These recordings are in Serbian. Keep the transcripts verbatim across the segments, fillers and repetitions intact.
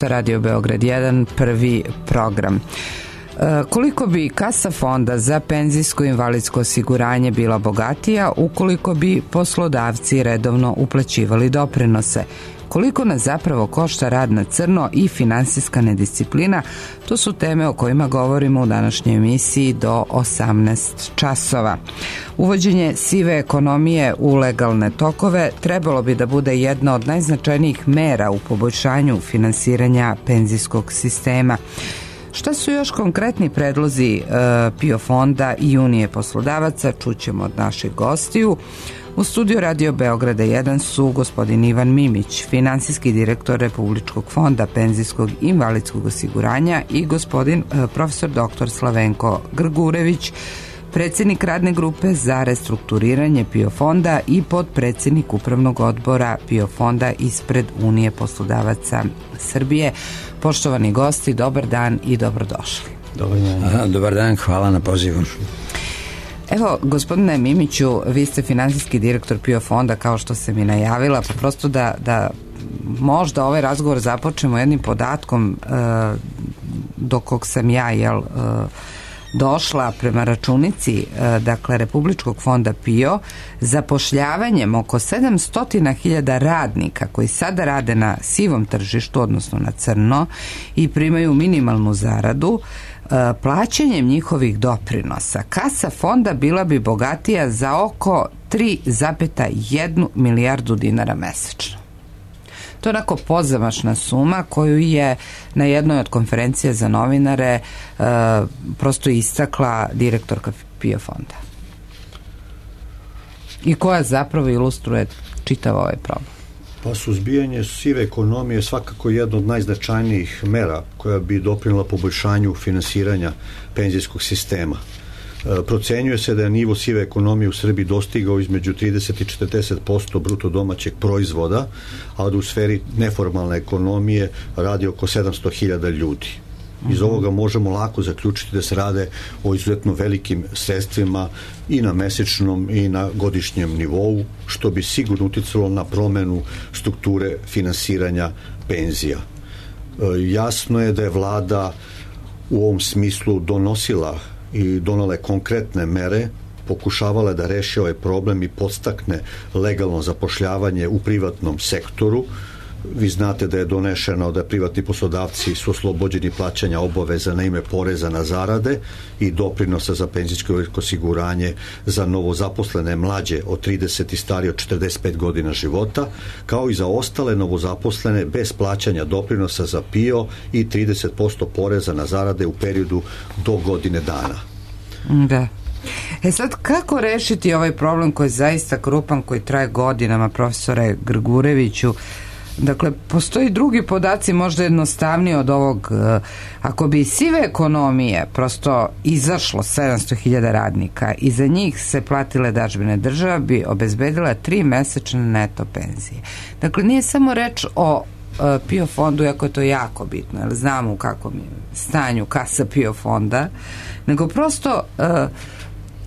Radio Beograd jedan, prvi program. E, koliko bi kasa fonda za penzijsko i invalidsko osiguranje bila bogatija ukoliko bi poslodavci redovno uplaćivali doprinose? Koliko nas zapravo košta rad na crno i finansijska nedisciplina? To su teme o kojima govorimo u današnjoj emisiji do osamnaest časova. Uvođenje sive ekonomije u legalne tokove trebalo bi da bude jedna od najznačajnijih mera u poboljšanju finansiranja penzijskog sistema. Šta su još konkretni predlozi e, PIO fonda i Unije poslodavaca, čućemo od naših gostiju. U studiju Radio Beograda jedan su gospodin Ivan Mimić, finansijski direktor Republičkog fonda penzijskog i invalidskog osiguranja, i gospodin e, profesor doktor Slavenko Grgurević, predsjednik radne grupe za restrukturiranje PIO fonda i potpredsjednik upravnog odbora PIO fonda ispred Unije poslodavaca Srbije. Poštovani gosti, dobar dan i dobrodošli. Dobar dan. Aha, dobar dan, hvala na pozivu. Evo, gospodine Mimiću, vi ste finansijski direktor PIO fonda, kao što sam i najavila, pa prosto da, da možda ovaj razgovor započnemo jednim podatkom e, do kog sam ja, jel, e, došla prema računici, dakle, Republičkog fonda PIO, zapošljavanjem oko sedamsto hiljada radnika koji sada rade na sivom tržištu, odnosno na crno, i primaju minimalnu zaradu, plaćanjem njihovih doprinosa kasa fonda bila bi bogatija za oko tri zarez jednu milijardu dinara mesečno. To je onako pozamašna suma koju je na jednoj od konferencija za novinare uh, prosto istakla direktorka PIO fonda. I koja zapravo ilustruje čitav ovaj problem. Pa suzbijanje sive ekonomije je svakako jedna od najznačajnijih mera koja bi doprinela poboljšanju finansiranja penzijskog sistema. Procenjuje se da je nivo sive ekonomije u Srbiji dostigao između trideset i četrdeset posto bruto domaćeg proizvoda, a da u sferi neformalne ekonomije radi oko sedamsto hiljada ljudi. Iz ovoga možemo lako zaključiti da se rade o izuzetno velikim sredstvima i na mesečnom i na godišnjem nivou, što bi sigurno uticalo na promenu strukture finansiranja penzija. Jasno je da je vlada u ovom smislu donosila i donale konkretne mere, pokušavala da reši ovaj problem i podstakne legalno zapošljavanje u privatnom sektoru. Vi znate da je donešeno da privatni poslodavci su oslobođeni plaćanja obaveza na ime poreza na zarade i doprinosa za penzijsko osiguranje za novozaposlene mlađe od trideset i starije od četrdeset pet godina života, kao i za ostale novozaposlene bez plaćanja doprinosa za PIO i trideset posto poreza na zarade u periodu do godine dana. Da. E sad, kako rešiti ovaj problem koji je zaista krupan, koji traje godinama, profesore Grgureviću? Dakle, postoji drugi podaci možda jednostavniji od ovog. Ako bi iz sive ekonomije prosto izašlo sedamsto hiljada radnika i za njih se platile dažbine, država bi obezbedila tri mesečne neto penzije. Dakle, nije samo reč o PIO fondu, iako je to jako bitno, jer znamo u kakvom je stanju kasa PIO fonda, nego prosto uh,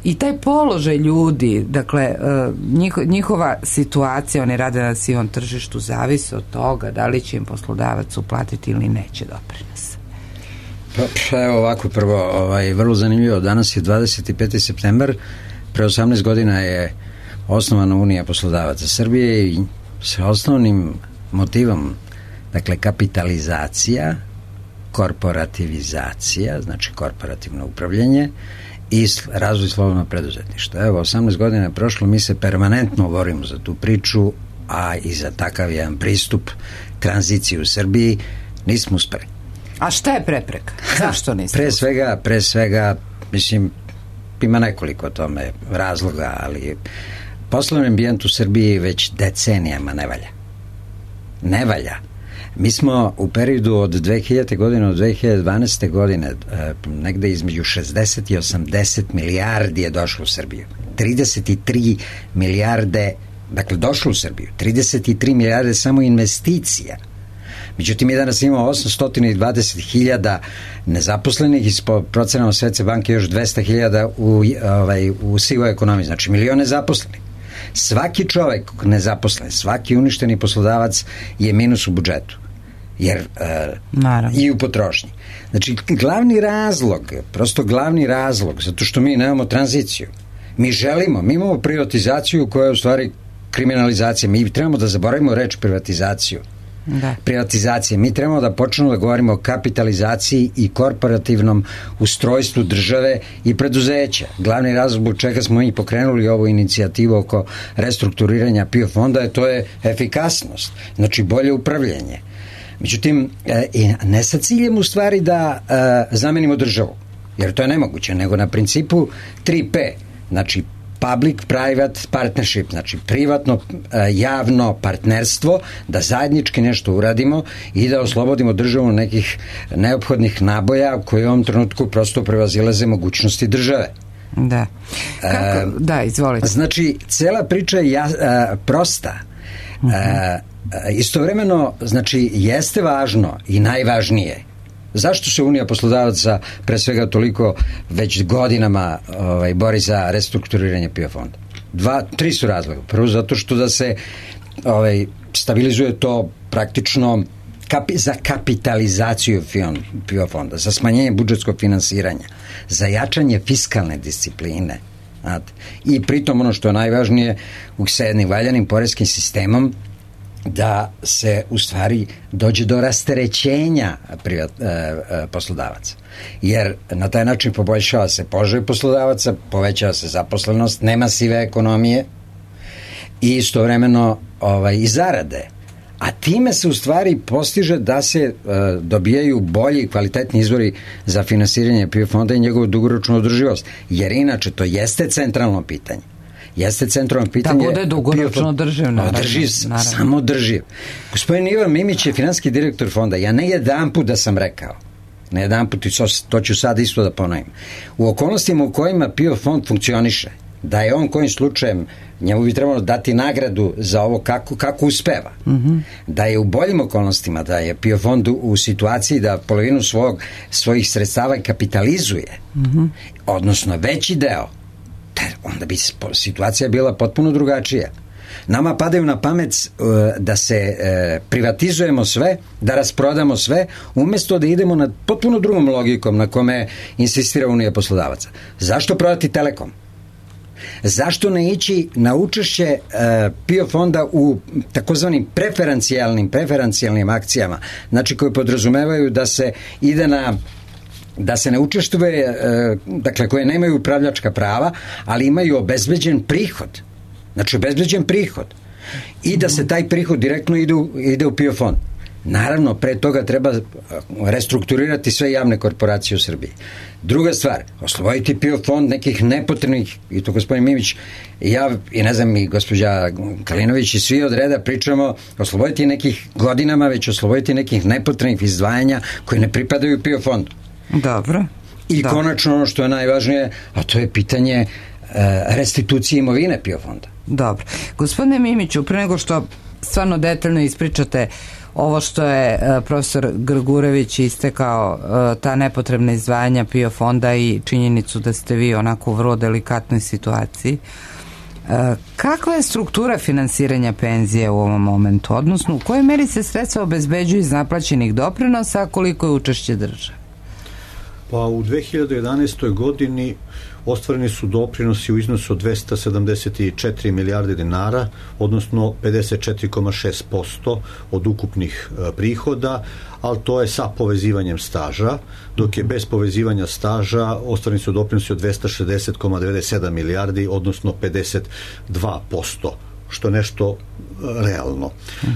i taj položaj ljudi, dakle, uh, njihova situacija, oni rade na sivom tržištu, zavisi od toga da li će im poslodavac uplatiti ili neće doprinos. Pa, evo ovako, prvo, ovaj, vrlo zanimljivo, danas je dvadeset peti septembar, pre osamnaest godina je osnovana Unija poslodavaca Srbije i sa osnovnim motivom, dakle, kapitalizacija, korporativizacija, znači korporativno upravljanje i razvoj slobodnog preduzetništva. Evo, osamnaest godina je prošlo, mi se permanentno borimo za tu priču, a i za takav jedan pristup tranziciji u Srbiji nismo uspeli. A šta je prepreka? Zašto niste? Pre svega, pre svega, mislim, ima nekoliko tome razloga, ali poslovni ambijent u Srbiji već decenijama ne valja. Ne valja. Mi smo u periodu od dve hiljadite godine do dve hiljade dvanaeste godine negde između šezdeset i osamdeset milijardi je došlo u Srbiju. trideset tri milijarde, dakle, došlo u Srbiju. trideset tri milijarde samo investicija. Međutim, mi danas imamo osamsto dvadeset hiljada nezaposlenih i po procenama Svetske banke još dvesta hiljada u, ovaj, u sivoj ekonomiji, znači milion nezaposlenih. Svaki čovek nezaposlen, svaki uništeni poslodavac je minus u budžetu. jer uh, i u potrošnji. Znači, glavni razlog, prosto glavni razlog, zato što mi nemamo tranziciju. Mi želimo, mi imamo privatizaciju koja je u stvari kriminalizacija. Mi trebamo da zaboravimo reč privatizaciju. Da. Privatizacije. Mi trebamo da počnemo da govorimo o kapitalizaciji i korporativnom ustrojstvu države i preduzeća. Glavni razlog zbog čega smo i pokrenuli ovu inicijativu oko restrukturiranja PIO fonda je to je efikasnost, znači bolje upravljanje. Međutim, ne sa ciljem u stvari da zamenimo državu, jer to je nemoguće, nego na principu tri P, znači public-private partnership, znači privatno javno partnerstvo, da zajednički nešto uradimo i da oslobodimo državu nekih neophodnih naboja koje u ovom trenutku prosto prevazilaze mogućnosti države. Da. Kako? E, da, izvolite. Znači, cela priča je ja, a, prosta. Uh-huh. A, istovremeno, znači, jeste važno i najvažnije. Zašto se Unija poslodavaca pre svega toliko već godinama ovaj, bori za restrukturiranje PIO fonda? Dva, tri su razloga. Prvo zato što da se ovaj, stabilizuje to praktično kapi, za kapitalizaciju PIO fonda, za smanjenje budžetskog finansiranja, za jačanje fiskalne discipline. Znate. I pritom ono što je najvažnije, sa jednim valjanim poreskim sistemom da se u stvari dođe do rasterećenja privat, e, e, poslodavaca. Jer na taj način poboljšava se položaj poslodavaca, povećava se zaposlenost, nema sive ekonomije i istovremeno ovaj, i zarade. A time se u stvari postiže da se e, dobijaju bolji i kvalitetni izvori za finansiranje PIO fonda i njegovu dugoročnu održivost. Jer inače to jeste centralno pitanje. Jeste centralno pitanje... Da bude dugoročno drživ, naravno. Drživ, samo drživ. Gospodin Ivan Mimić je finansijski direktor fonda. Ja ne jedan put da sam rekao, ne jedan put, i to ću sad isto da ponovim. U okolnostima u kojima PIO fond funkcioniše, da je on kojim slučajem, njemu bi trebalo dati nagradu za ovo kako, kako uspeva. Mm-hmm. Da je u boljim okolnostima, da je PIO fond u, u situaciji da polovinu svog, svojih sredstava kapitalizuje, mm-hmm. odnosno veći deo, onda bi situacija bila potpuno drugačija. Nama padaju na pamet uh, da se uh, privatizujemo sve, da rasprodamo sve, umjesto da idemo na potpuno drugom logikom na kome insistira Unija poslodavaca. Zašto prodati Telekom? Zašto ne ići na učešće uh, PIO fonda u takozvanim preferencijalnim, preferencijalnim akcijama, znači koje podrazumevaju da se ide na da se ne učestvuje, dakle, koje nemaju upravljačka prava, ali imaju obezbeđen prihod. Znači, obezbeđen prihod. I da se taj prihod direktno ide u, ide u PIO fond. Naravno, pre toga treba restrukturirati sve javne korporacije u Srbiji. Druga stvar, osloboditi PIO fond nekih nepotrebnih, i to gospodin Mimić, i ja, i ne znam, i gospođa Kalinović, i svi od reda pričamo, osloboditi nekih godinama, već osloboditi nekih nepotrebnih izdvajanja koji ne pripadaju PIO fondu. Dobro. I Dobro. Konačno ono što je najvažnije, a to je pitanje e, restitucije imovine PIO fonda. Dobro. Gospodine Mimiću, pre nego što stvarno detaljno ispričate ovo što je e, profesor Grgurević istekao, e, ta nepotrebna izdvajanja PIO fonda i činjenicu da ste vi onako u vrlo delikatnoj situaciji, e, kakva je struktura finansiranja penzije u ovom momentu? Odnosno, u kojoj meri se sredstva obezbeđuju iz naplaćenih doprinosa, a koliko je učešće države? Pa u dve hiljade jedanaestoj godini ostvareni su doprinosi u iznosu od dvesta sedamdeset četiri milijarde dinara, odnosno pedeset četiri zarez šest posto od ukupnih e, prihoda, ali to je sa povezivanjem staža, dok je bez povezivanja staža ostvareni su doprinosi od dvesta šezdeset zarez devedeset sedam milijardi, odnosno pedeset dva posto, što je nešto realno.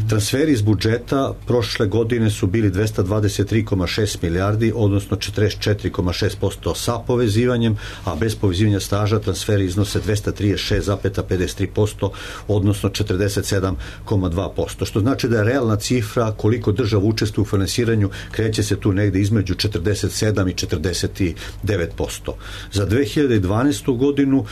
Transferi iz budžeta prošle godine su bili dvesta dvadeset tri zarez šest milijardi, odnosno četrdeset četiri zarez šest posto sa povezivanjem, a bez povezivanja staža transferi iznose dvesta trideset šest zarez pedeset tri posto, odnosno četrdeset sedam zarez dva posto, što znači da je realna cifra koliko država učestvuje u finansiranju kreće se tu negde između četrdeset sedam i četrdeset devet posto. Za dve hiljade dvanaestu godinu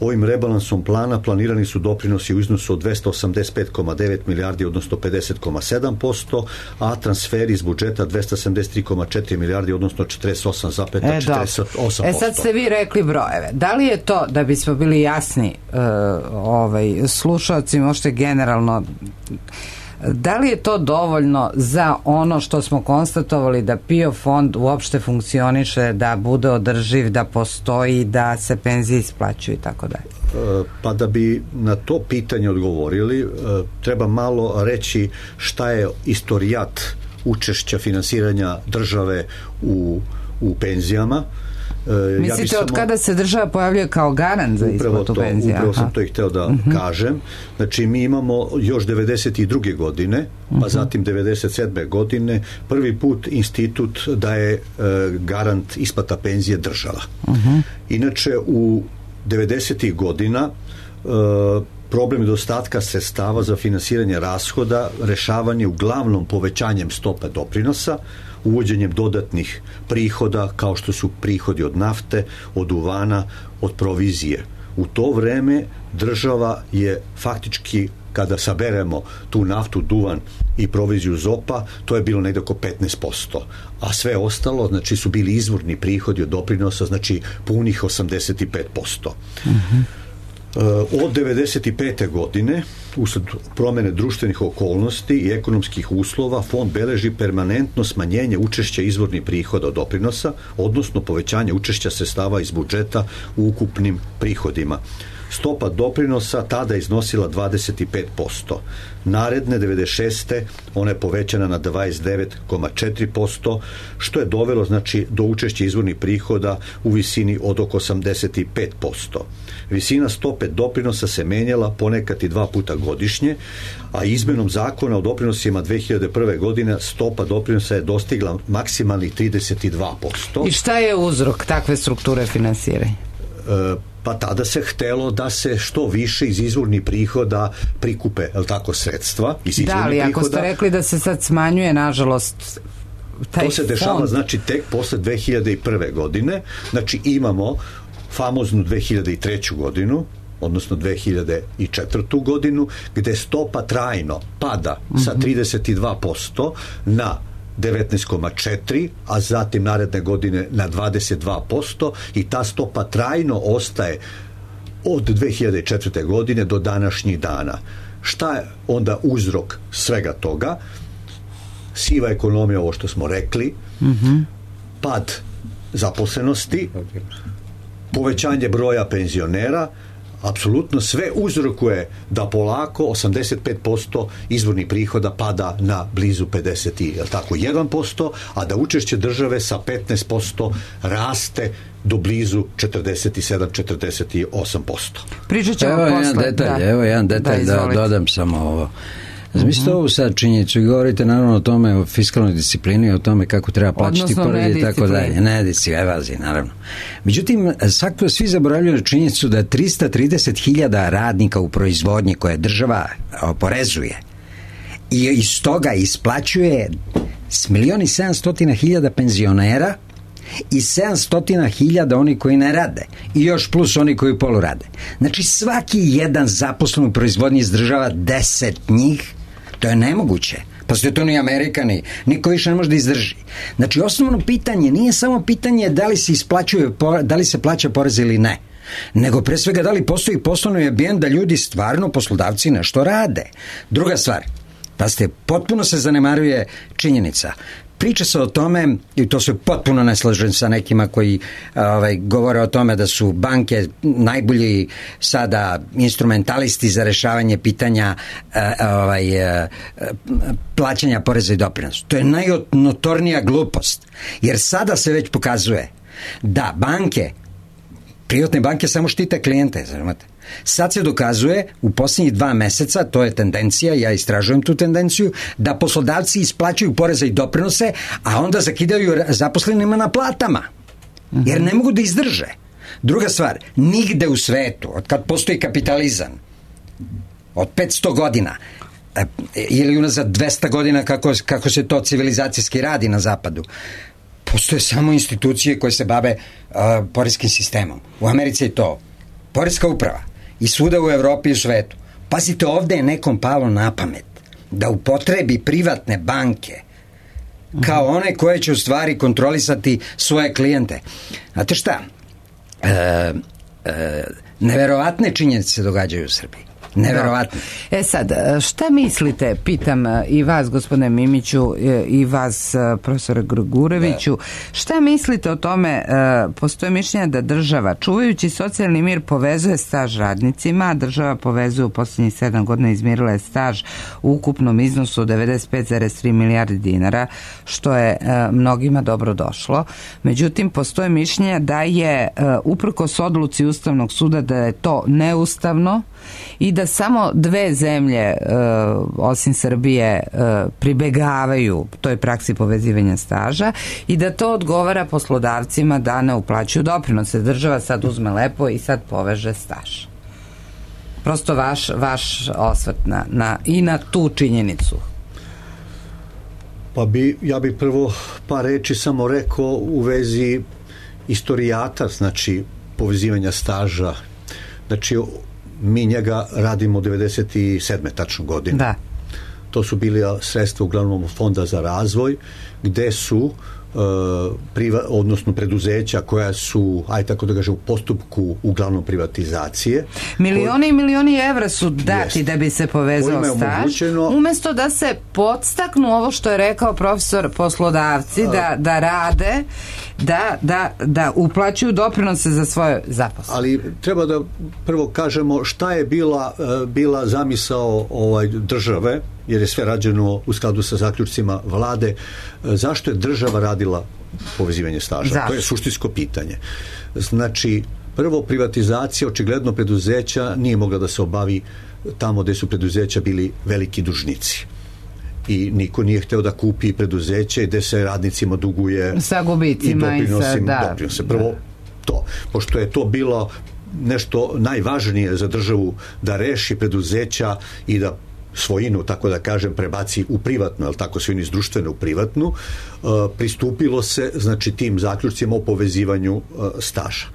ovim rebalansom plana planirani su doprinosi u iznosu od dvesta osamdeset pet zarez devet milijardi, odnosno pedeset zarez sedam posto, a transferi iz budžeta dvesta sedamdeset tri zarez četiri milijardi, odnosno četrdeset osam zarez četrdeset osam posto. E sad ste vi rekli brojeve. Da li je to, da bismo bili jasni uh, ovaj, slušalci, možete generalno Da li je to dovoljno za ono što smo konstatovali da P I O fond uopšte funkcioniše, da bude održiv, da postoji, da se penzije isplaćuju i tako dalje? Pa da bi na to pitanje odgovorili, treba malo reći šta je istorijat učešća finansiranja države u, u penzijama. Mislite, ja samo, od kada se država pojavljuje kao garant za isplatu penzija? Upravo sam to i hteo da uh-huh. kažem. Znači, mi imamo još devedeset druge godine, pa uh-huh. zatim devedeset sedme godine, prvi put institut daje e, garant isplata penzije država. Uh-huh. Inače, u devedesetih godina e, problem nedostatka sredstava za finansiranje rashoda rešavan je uglavnom povećanjem stope doprinosa, uvođenjem dodatnih prihoda kao što su prihodi od nafte, od duvana, od provizije. U to vreme država je faktički, kada saberemo tu naftu, duvan i proviziju zopa, to je bilo negdje oko petnaest posto. A sve ostalo, znači, su bili izvorni prihodi od doprinosa, znači punih osamdeset pet posto. Mhm. Od devedeset pete godine, usled promene društvenih okolnosti i ekonomskih uslova, fond beleži permanentno smanjenje učešća izvornih prihoda od doprinosa, odnosno povećanje učešća sredstava iz budžeta u ukupnim prihodima. Stopa doprinosa tada iznosila dvadeset pet posto. Naredne devedeset šeste ona je povećana na dvadeset devet zarez četiri posto, što je dovelo, znači, do učešća izvornih prihoda u visini od oko osamdeset pet posto. Visina stope doprinosa se menjala ponekad i dva puta godišnje, a izmenom zakona o doprinosima dve hiljade prve. godine stopa doprinosa je dostigla maksimalnih trideset dva posto. I šta je uzrok takve strukture finansiranja? E, pa tada se htelo da se što više iz izvornih prihoda prikupe, je li tako, sredstva iz izvornih prihoda. Da, ali ako ste rekli da se sad smanjuje, nažalost, taj to se dešava, fond, znači, tek posle dve hiljade prve. godine. Znači, imamo famoznu dve hiljade treću. godinu, odnosno dve hiljade četvrtu. godinu, gde stopa trajno pada sa trideset dva posto na devetnaest zarez četiri, a zatim naredne godine na dvadeset dva posto, i ta stopa trajno ostaje od dve hiljade četvrte. godine do današnjih dana. Šta je onda uzrok svega toga? Siva ekonomija, ovo što smo rekli, mm-hmm. pad zaposlenosti, povećanje broja penzionera, apsolutno sve uzrokuje da polako osamdeset pet posto izvornih prihoda pada na blizu pedeset jedan posto, a da učešće države sa petnaest posto raste do blizu četrdeset sedam do četrdeset osam posto. Pričat ćemo evo posle. Jedan detalj, da. Evo jedan detalj da, da dodam samo ovo. Zamislite ovu sad činjenicu i govorite naravno o tome, o fiskalnoj disciplini, o tome kako treba plaćati porez i tako dalje. Ne, disciplini, evaziji, naravno. Međutim, svakako svi zaboravljaju činjenicu da trista trideset hiljada radnika u proizvodnji koje država oporezuje i iz toga isplaćuje s milion i sedamsto hiljada penzionera i sedamsto hiljada oni koji ne rade i još plus oni koji polu rade. Znači, svaki jedan zaposlen u proizvodnji izdržava deset njih. To je nemoguće. Pa ste to ni Amerika, ni niko više ne može da izdrži. Znači, osnovno pitanje nije samo pitanje da li se isplaćuje, da li se plaća porez ili ne, nego pre svega da li postoji poslovni ambijent da ljudi stvarno, poslodavci, nešto rade. Druga stvar, pa ste, potpuno se zanemaruje činjenica. Priča se o tome, i to se potpuno ne slažem sa nekima koji ovaj, govore o tome da su banke najbolji sada instrumentalisti za rešavanje pitanja ovaj, plaćanja poreza i doprinosa. To je najnotornija glupost, jer sada se već pokazuje da banke, privatne banke samo štite klijente, znate. Sad se dokazuje u posljednjih dva meseca, to je tendencija, ja istražujem tu tendenciju, da poslodavci isplaćuju poreze i doprinose, a onda zakidaju zaposlenima na platama, jer ne mogu da izdrže. Druga stvar, nigde u svetu, od kad postoji kapitalizam, od petsto godina, ili unazad dvesta godina kako, kako se to civilizacijski radi na zapadu, postoje samo institucije koje se bave uh, poreskim sistemom. U Americi je to poreska uprava i svuda u Evropi i u svetu. Pazite, ovde je nekom palo na pamet da upotrebi privatne banke kao one koje će u stvari kontrolisati svoje klijente. Znate šta? E, e, neverovatne činjenice se događaju u Srbiji. Neverovatno. Da. E sad, šta mislite, pitam i vas, gospodine Mimiću, i vas, profesore Grgureviću, da. Šta mislite o tome, postoje mišljenja da država, čuvajući socijalni mir, povezuje staž radnicima, država povezuje u posljednjih sedam godina, izmirila je staž u ukupnom iznosu od devedeset pet zarez tri milijarde dinara, što je mnogima dobro došlo. Međutim, postoje mišljenja da je uprkos odluci Ustavnog suda da je to neustavno i da samo dve zemlje, osim Srbije, pribegavaju toj praksi povezivanja staža i da to odgovara poslodavcima da ne uplaćuju doprinose. Država sad uzme lepo i sad poveže staž. Prosto vaš, vaš osvrt na, na, i na tu činjenicu. Pa bi, ja bih prvo par reči samo rekao u vezi istorijata, znači povezivanja staža. Znači, mi njega radimo od devedeset sedme tačno godine. Da. To su bili sredstva uglavnom Fonda za razvoj, gde su Uh, priva, odnosno preduzeća koja su, aj tako da kažem, u postupku uglavnom privatizacije. Milioni i milioni evra su dati jest, da bi se povezao staž, omogućeno, umesto da se podstaknu ovo što je rekao profesor, poslodavci, uh, da, da rade, da, da, da uplaćuju doprinose za svoje zaposlene. Ali treba da prvo kažemo šta je bila, uh, bila zamisao ovaj, države, jer je sve rađeno u skladu sa zaključcima vlade. Zašto je država radila povezivanje staža? Zašto? To je suštinsko pitanje. Znači, prvo, privatizacija očigledno preduzeća nije mogla da se obavi tamo gde su preduzeća bili veliki dužnici. I niko nije hteo da kupi preduzeće gde se radnicima duguje sa gubicima i, i sa, da, doprinose. Prvo, da. To. Pošto je to bilo nešto najvažnije za državu da reši preduzeća i da svojinu, tako da kažem, prebaci u privatnu, ali tako svojinu iz društvene u privatnu, uh, pristupilo se, znači, tim zaključcima o povezivanju uh, staža.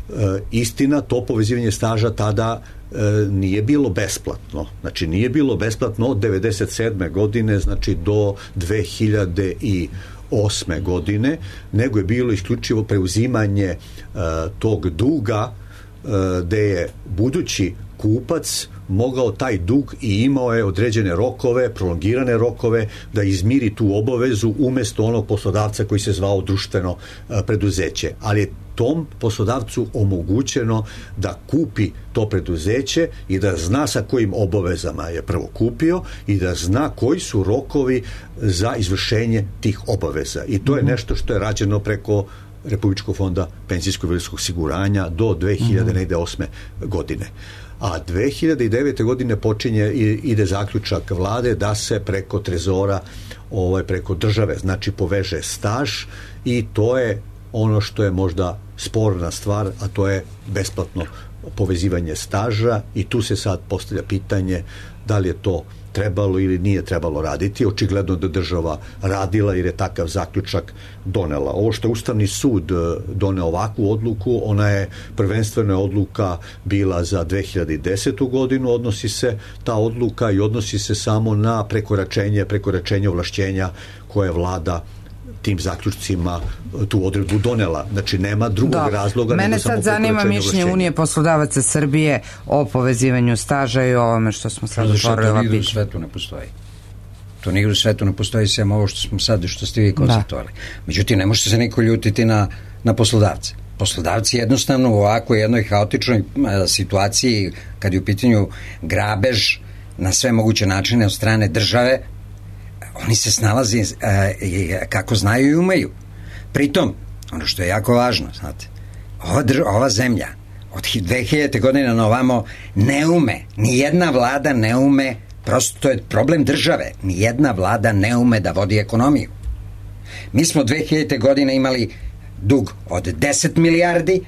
Uh, istina, to povezivanje staža tada uh, nije bilo besplatno. Znači, nije bilo besplatno od devedeset sedme godine, znači, do dve hiljade osme godine, nego je bilo isključivo preuzimanje uh, tog duga uh, gde je budući kupac mogao taj dug i imao je određene rokove, prolongirane rokove da izmiri tu obavezu umesto onog poslodavca koji se zvao društveno preduzeće. Ali je tom poslodavcu omogućeno da kupi to preduzeće i da zna sa kojim obavezama je prvo kupio i da zna koji su rokovi za izvršenje tih obaveza. I to je nešto što je rađeno preko Republičkog fonda penzijskog i invalidskog osiguranja do dve hiljade osme godine. A dve hiljade devete godine počinje i ide zaključak vlade da se preko trezora, ovaj, preko države, znači poveže staž, i to je ono što je možda sporna stvar, a to je besplatno povezivanje staža, i tu se sad postavlja pitanje da li je to trebalo ili nije trebalo raditi. Očigledno da država radila jer je takav zaključak donela. Ovo što je Ustavni sud doneo ovakvu odluku, ona je prvenstvena odluka bila za dve hiljade desetu godinu, odnosi se ta odluka i odnosi se samo na prekoračenje, prekoračenje ovlašćenja koje vlada tim zaključcima tu odredbu donela. Znači, nema drugog da. razloga. Mene sad zanima mišljenje Unije poslodavaca Srbije o povezivanju staža i o ovome što smo sad otvorili ova pitanja. To nigde u svetu ne postoji. To nigde u svetu ne postoji, sem ovo što smo sad, što ste vi konstatovali. Međutim, ne možete se niko ljutiti na, na poslodavce. Poslodavci jednostavno u ovakvoj jednoj haotičnoj situaciji, kad je u pitanju grabež na sve moguće načine od strane države, oni se snalazi e, kako znaju i umeju. Pritom, ono što je jako važno, znate, ova, dr, ova zemlja od dve hiljade godine na ovamo ne ume, ni jedna vlada ne ume, prosto to je problem države, ni jedna vlada ne ume da vodi ekonomiju. Mi smo dve hiljade godine imali dug od deset milijardi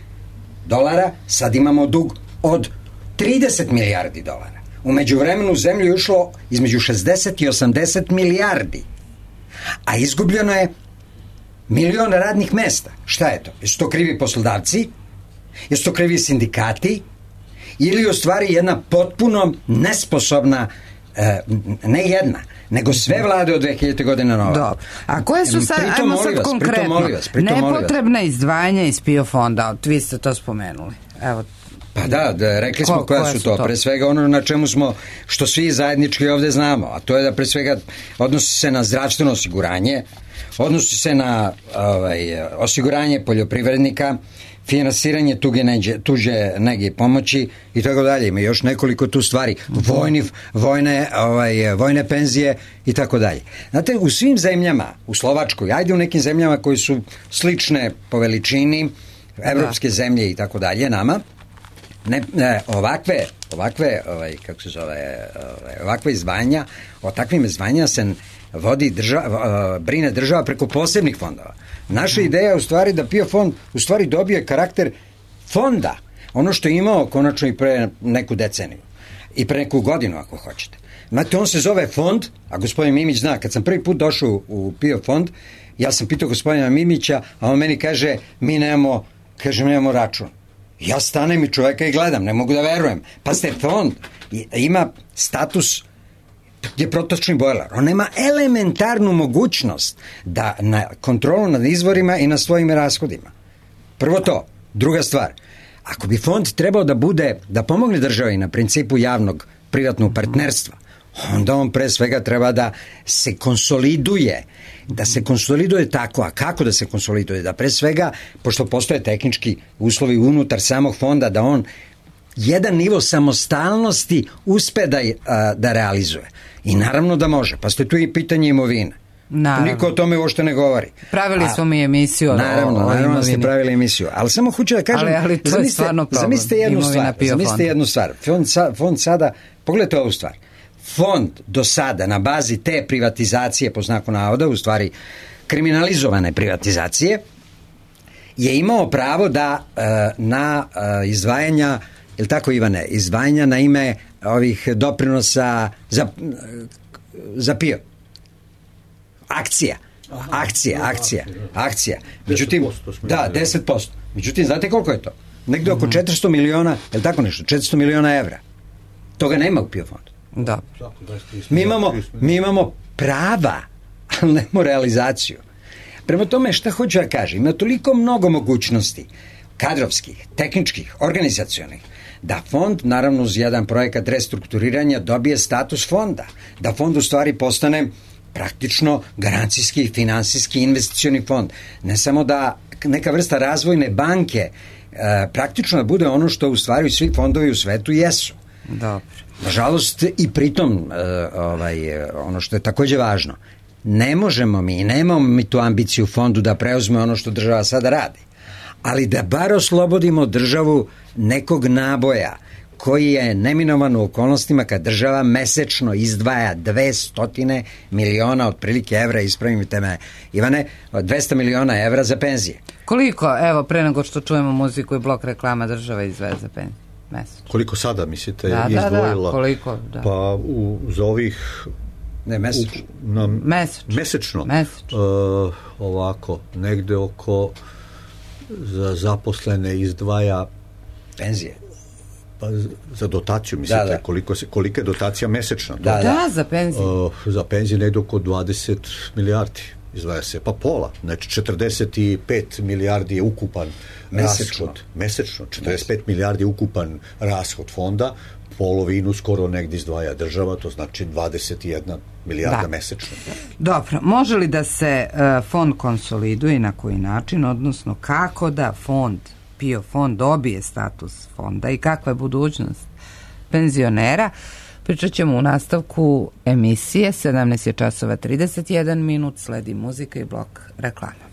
dolara, sad imamo dug od trideset milijardi dolara. U međuvremenu u zemlju je ušlo između šezdeset i osamdeset milijardi, a izgubljeno je milion radnih mesta. Šta je to? Jesu to krivi poslodavci? Jesu to krivi sindikati? Ili u stvari jedna potpuno nesposobna, eh, ne jedna, nego sve vlade od dve hiljade godine na ovamo. A koje su sad, ajmo sad vas, konkretno, pritom, pritom, nepotrebna izdvajanja iz P I O fonda, vi ste to spomenuli. Evo, Pa da, da rekli smo Ko, koja su to. to. Pre svega ono na čemu smo, što svi zajednički ovde znamo, a to je da pre svega odnosi se na zdravstveno osiguranje, odnosi se na ovaj, osiguranje poljoprivrednika, finansiranje tuge neđe, tuđe nege i pomoći i tako dalje. Ima još nekoliko tu stvari. Vojni, vojne, ovaj, vojne penzije i tako dalje. Znate, u svim zemljama, u Slovačkoj, ajde u nekim zemljama koji su slične po veličini, evropske da. zemlje i tako dalje, nama, ne, ne, ovakve, ovakve, ovaj, kako se zove, ovaj, ovakve izdvajanja, o takvim izdvajanja se vodi država, brine država preko posebnih fondova. Naša ideja je u stvari da PIO fond u stvari dobije karakter fonda, ono što je imao konačno i pre neku deceniju i pre neku godinu ako hoćete. Znate, on se zove fond, a gospodin Mimić zna, kad sam prvi put došao u PIO fond, ja sam pitao gospodina Mimića, a on meni kaže, mi nemamo, kaže, nemamo račun. Ja stanem i čoveka i gledam, ne mogu da verujem. Pa ste fond, ima status je protočni bojler. On nema elementarnu mogućnost da na kontrolu nad izvorima i na svojim rashodima. Prvo to. Druga stvar, ako bi fond trebao da bude, da pomogne državi na principu javnog privatnog partnerstva, onda on pre svega treba da se konsoliduje, da se konsoliduje tako, a kako da se konsoliduje? Da pre svega, pošto postoje tehnički uslovi unutar samog fonda, da on jedan nivo samostalnosti uspe da, da realizuje. I naravno da može, pa ste tu i pitanje imovine. Naravno. Niko o tome uopšte ne govori. Pravili smo mi emisiju naravno, o, o naravno da ste pravili emisiju, ali samo hoću da kažem, ali, ali to zamislite, je stvarno problem. Zamislite jednu stvar, zamislite jednu stvar. Fond, fond sada, pogledajte ovu stvar. Fond do sada na bazi te privatizacije, po znaku navoda, u stvari kriminalizovane privatizacije, je imao pravo da uh, na uh, izdvajanja, je li tako Ivane, izdvajanja na ime ovih doprinosa za, za PIO. Akcija. Akcija, akcija, akcija. Međutim, da, deset posto. Međutim, znate koliko je to? Negde oko četiristo miliona, je li tako nešto? četiristo miliona evra. Toga nema u PIO fondu. Da. Mi imamo, mi imamo prava, ali nemamo realizaciju. Prema tome, šta hoću da kažem, ima toliko mnogo mogućnosti, kadrovskih, tehničkih, organizacionih, da fond, naravno uz jedan projekat restrukturiranja, dobije status fonda. Da fond u stvari postane praktično garancijski, finansijski, investicioni fond. Ne samo da neka vrsta razvojne banke e, praktično da bude ono što u stvari svi fondovi u svetu jesu. Dobro. Nažalost, i pritom, e, ovaj, ono što je takođe važno, ne možemo mi, nemamo mi tu ambiciju fondu da preuzme ono što država sada radi, ali da bar oslobodimo državu nekog naboja koji je neminovan u okolnostima kad država mesečno izdvaja dvesta miliona otprilike evra, ispravite me Ivane, dvesta miliona evra za penzije. Koliko, evo, pre nego što čujemo muziku i blok reklama, država izdvaja za penzije? Mesečno. Koliko sada, mislite, da, izdvojila? Da, da, koliko, da. Pa u, za ovih... Ne, mesečno. U, na, mesečno. Mesečno. Mesečno. Uh, ovako, negde oko za zaposlene izdvaja penzije. Pa za dotaciju, mislite, da, da. Koliko se, kolika je dotacija mesečna? Da, da, da, za penzije. Uh, za penzije negde oko dvadeset milijardi izdvaja se, pa pola, znači četrdeset pet milijardi je ukupan mesečno. rashod, mesečno, četrdeset pet milijardi je ukupan rashod fonda, polovinu skoro negdje izdvaja država, to znači dvadeset jedna milijarda da. mesečno. Dobro, može li da se uh, fond konsoliduje i na koji način, odnosno kako da fond, PIO fond dobije status fonda i kakva je budućnost penzionera? Pričat ćemo u nastavku emisije. Sedamnaest je časova trideset jedan minut, sledi muzika i blok reklama.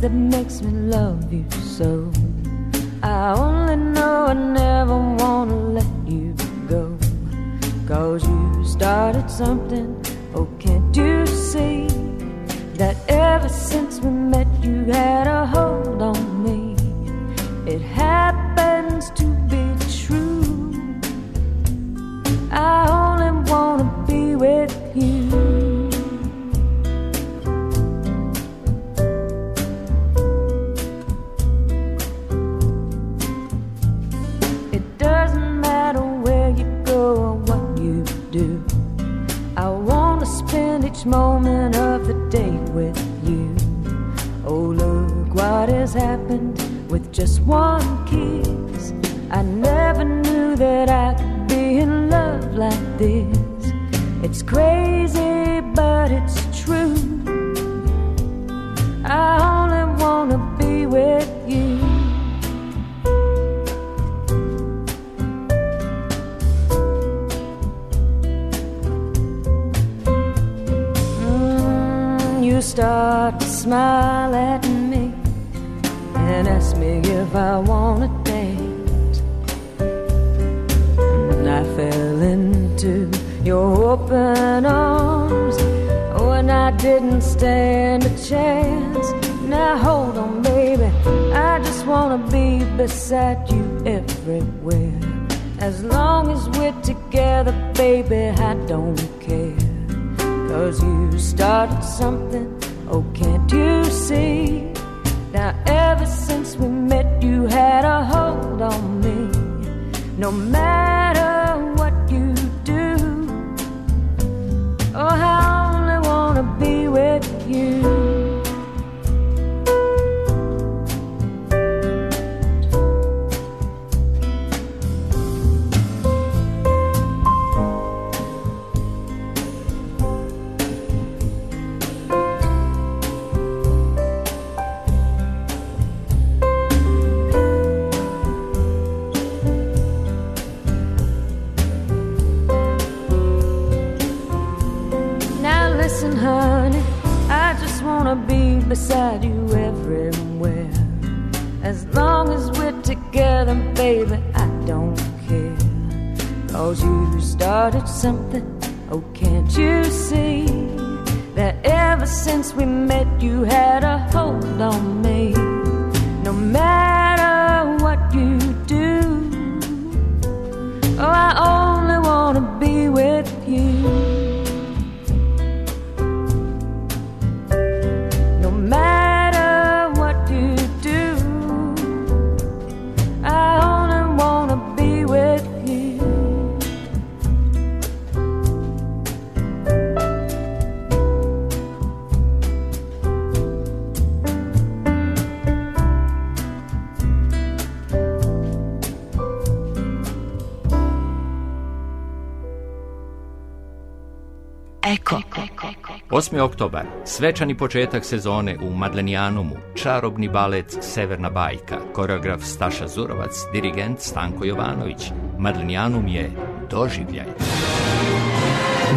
That makes me love you so. I only know I never wanna let you go, 'cause you started something, oh can't you see, that ever since we met you had a hold on me. It happens to be true, I only wanna be with you. each moment of the day with you. Oh, look what has happened with just one kiss. I never knew that I could be in love like this. It's crazy, but it's true. I only wanna be with you. Mm, you start to smile at me and ask me if I wanna dance. And I fell into your open arms when I didn't stand a chance. Now hold on, baby, I just wanna be beside you everywhere. As long as we're together, baby, I don't care. Cause you started something, oh can't you see? Now ever since we met, you had a hold on me. No matter what you do, oh, I only wanna be with you. Beside you everywhere. As long as we're together, baby, I don't care. Cause you started something, oh can't you see? That ever since we met, you had a hold on me. No matter what you do, oh I only wanna be with you. Eko. osmi oktobar, svečani početak sezone u Madlenijanumu, čarobni balet Severna bajka, koreograf Staša Zurovac, dirigent Stanko Jovanović. Madlenijanum je doživljaj.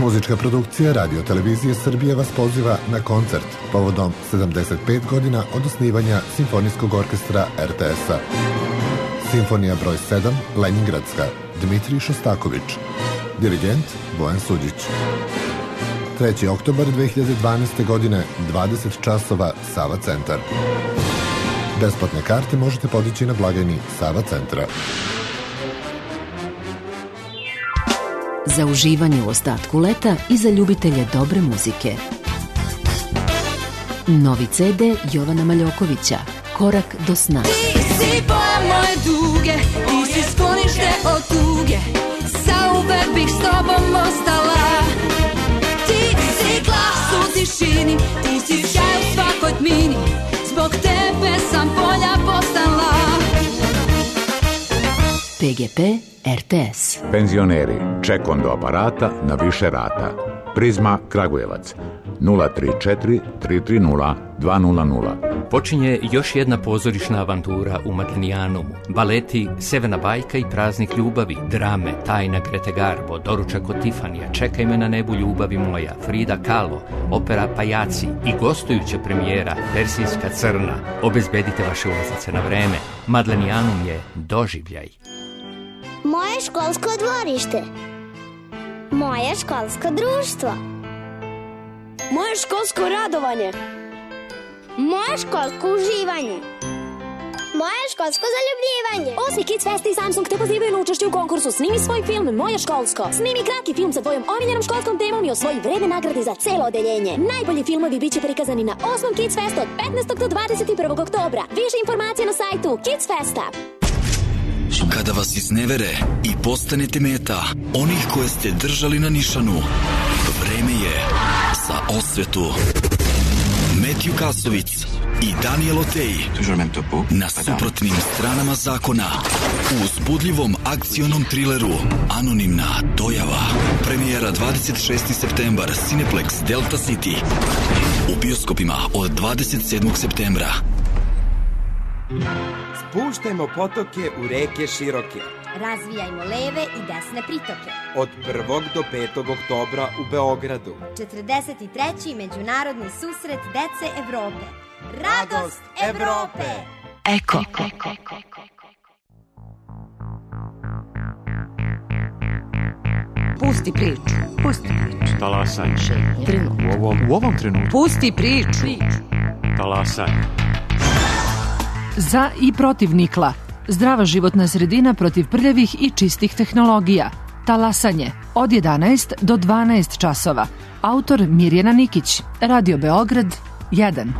Muzička produkcija Radio Televizije Srbije vas poziva na koncert povodom sedamdeset pet godina od osnivanja Simfonijskog orkestra er te es-a. Simfonija broj sedam, Leningradska, Dmitrij Šostaković. Dirigent Bojan Suđić. treći oktobar dve hiljade dvanaeste. godine, dvadeset časova, Sava centar. Besplatne karte možete podići na blagajni Sava centra. Za uživanje u ostatku leta i za ljubitelje dobre muzike. Novi ce de Jovana Maljokovića, Korak do sna. Ti si boja moje duge, ti si sklonište od tuge, zauvek bih s tobom ostala. Ti si glas u tišini, ti si šaj u svakoj tmini, zbog tebe sam bolja postala. pe ge pe er te es. Penzioneri, ček do aparata na više rata. Prizma Kragujevac nula tri četiri tri tri nula dva nula nula. Počinje još jedna pozorišna avantura u Madlenijanumu. Baleti Severna bajka i Praznik ljubavi, drame Tajna Grete Garbo, Doručak od Tifanija, Čekaj me na nebu ljubavi moja, Frida Kahlo, opera Pajaci i gostujuća premijera Persijska crna. Obezbedite vaše ulaznice na vreme. Madlenijanum je doživljaj. Moje školsko dvorište. Moje školsko društvo. Moje školsko radovanje. Moje školsko uživanje. Moje školsko zaljubljivanje. Osmi Kids Fest i Samsung te pozivaju na učešće u konkursu Snimi svoj film Moje školsko. Snimi kratki film sa tvojom omiljenom školskom temom i osvoji vredne nagrade za celo odeljenje. Najbolji filmovi biće prikazani na osmom Kids Festu od petnaestog do dvadeset prvog oktobra. Više informacije na sajtu Kids Festa. Kada vas iznevere i postanete meta onih koje ste držali na nišanu, vreme je za osvetu. Metju Kasovic i Daniel Otej na suprotnim stranama zakona u uzbudljivom akcionom trileru Anonimna dojava. Premijera dvadeset šesti septembar, Cineplex Delta City. U bioskopima od dvadeset sedmog septembra. Spuštajmo potoke u reke široke. Razvijajmo leve i desne pritoke. Od prvog do petog oktobra u Beogradu. četrdeset treći Međunarodni susret dece Evrope. Radost Evrope! Eko. Pusti priču. Pusti priču. Talasanje. U ovom, u ovom trenutku. Pusti priču. Talasanje. Za i protiv nikla. Zdrava životna sredina protiv prljavih i čistih tehnologija. Talasanje. Od jedanaest do dvanaest časova. Autor Mirjana Nikić. Radio Beograd jedan.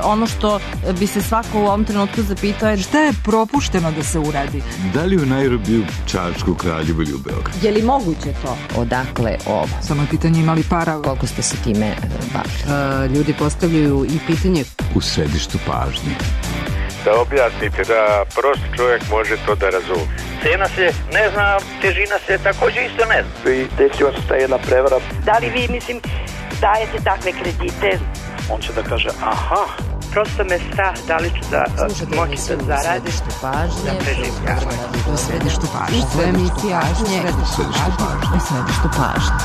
Ono što bi se svako u ovom trenutku zapitao je šta je propušteno da se uradi. Da li u Nairobiju, Čačku, Kraljevu ili u Beogradu? Je li moguće to? Odakle ovo? Samo je pitanje imali para. Koliko ste se time bavili? Uh, ljudi postavljaju i pitanje. U središtu pažnje. Da objasnite da prost čovjek može to da razumije. Cena se ne zna, težina se također isto ne zna. I desila se ta jedna prevara. Da li vi, mislim, dajete takve kredite? On će da kaže, aha, prosto me strah da li ću da uh, moći da zaradim. Središtu pažnje. Da preživljavam. U središtu pažnje. U središtu pažnje. U središtu pažnje.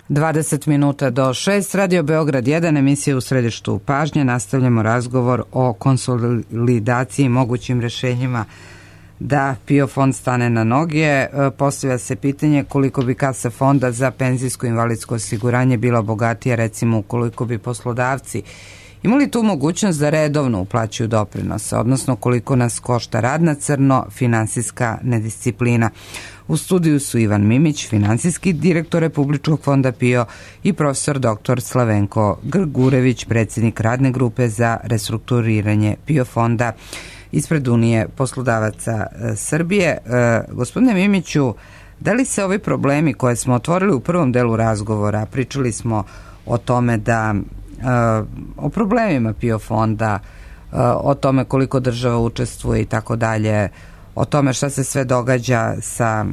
dvadeset minuta do šest, Radio Beograd jedan, emisija u središtu pažnje. Nastavljamo razgovor o konsolidaciji i mogućim rešenjima da PIO fond stane na noge. Postavlja se pitanje koliko bi kasa fonda za penzijsko invalidsko osiguranje bila bogatija, recimo ukoliko bi poslodavci imali tu mogućnost da redovno uplaćuju doprinose, odnosno koliko nas košta rad na crno, finansijska nedisciplina. U studiju su Ivan Mimić, finansijski direktor Republičkog fonda PIO, i profesor doktor Slavenko Grgurević, predsjednik radne grupe za restrukturiranje PIO fonda ispred Unije poslodavaca Srbije. E, gospodine Mimiću, da li se ovi problemi koje smo otvorili u prvom delu razgovora, pričali smo o tome da o problemima PIO fonda, o tome koliko država učestvuje i tako dalje, o tome šta se sve događa sa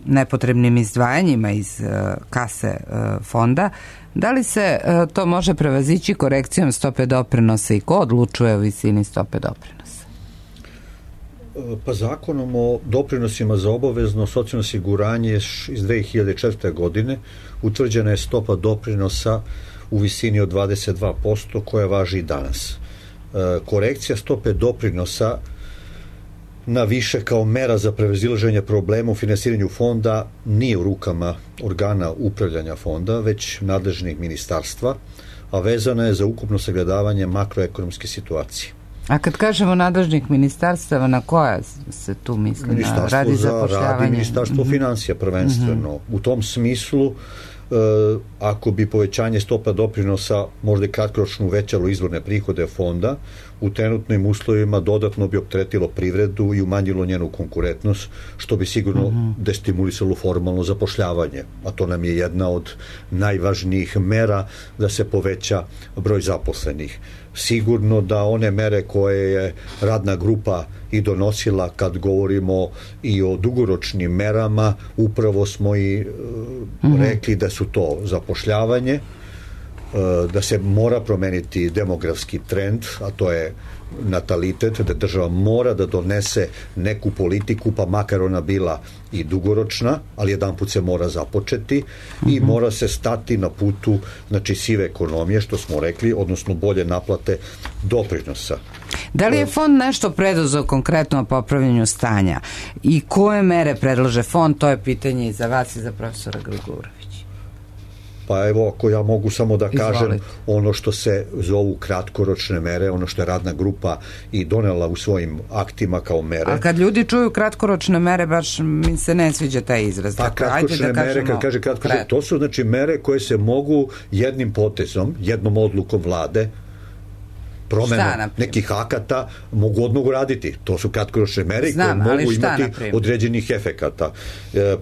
nepotrebnim izdvajanjima iz kase fonda, da li se to može prevazići korekcijom stope doprinosa i ko odlučuje o visini stope doprinosa? Pa zakonom o doprinosima za obavezno socijalno osiguranje iz dve hiljade četvrte. godine utvrđena je stopa doprinosa u visini od dvadeset dva posto koja važi i danas. Korekcija stope doprinosa na više kao mera za prevazilaženje problema u finansiranju fonda nije u rukama organa upravljanja fonda, već nadležnih ministarstva, a vezana je za ukupno sagledavanje makroekonomske situacije. A kad kažemo nadležnih ministarstava, na koja se tu misli? Ministarstvo na radi za rad i Ministarstvo mm-hmm. financija prvenstveno. Mm-hmm. U tom smislu, E, ako bi povećanje stopa doprinosa možda kratkoročno uvećalo izvorne prihode fonda, u trenutnim uslovima dodatno bi opteretilo privredu i umanjilo njenu konkurentnost, što bi sigurno mm-hmm. destimulisalo formalno zapošljavanje, a to nam je jedna od najvažnijih mera da se poveća broj zaposlenih. Sigurno da one mere koje je radna grupa i donosila kad govorimo i o dugoročnim merama, upravo smo i e, mm-hmm. rekli da su to zapošljavanje, e, da se mora promeniti demografski trend, a to je natalitet, da država mora da donese neku politiku, pa makar ona bila i dugoročna, ali jedan put se mora započeti mm-hmm. i mora se stati na putu, znači, sive ekonomije, što smo rekli, odnosno bolje naplate doprinosa. Da li je fond nešto preduzeo konkretno o popravljanju stanja i koje mere predlaže fond? To je pitanje i za vas i za profesora Grgurevića. Pa evo, ako ja mogu samo da kažem, Izvolite. Ono što se zovu kratkoročne mere, ono što je radna grupa i donela u svojim aktima kao mere. A kad ljudi čuju kratkoročne mere, baš mi se ne sviđa taj izraz. Pa dakle, kratkoročne da mere, kad kaže kratkoročne, to su znači mere koje se mogu jednim potezom, jednom odlukom vlade promena nekih akata mogu odmah uraditi. To su kratkoročne mere Znam, koje mogu šta, imati određenih efekata. E,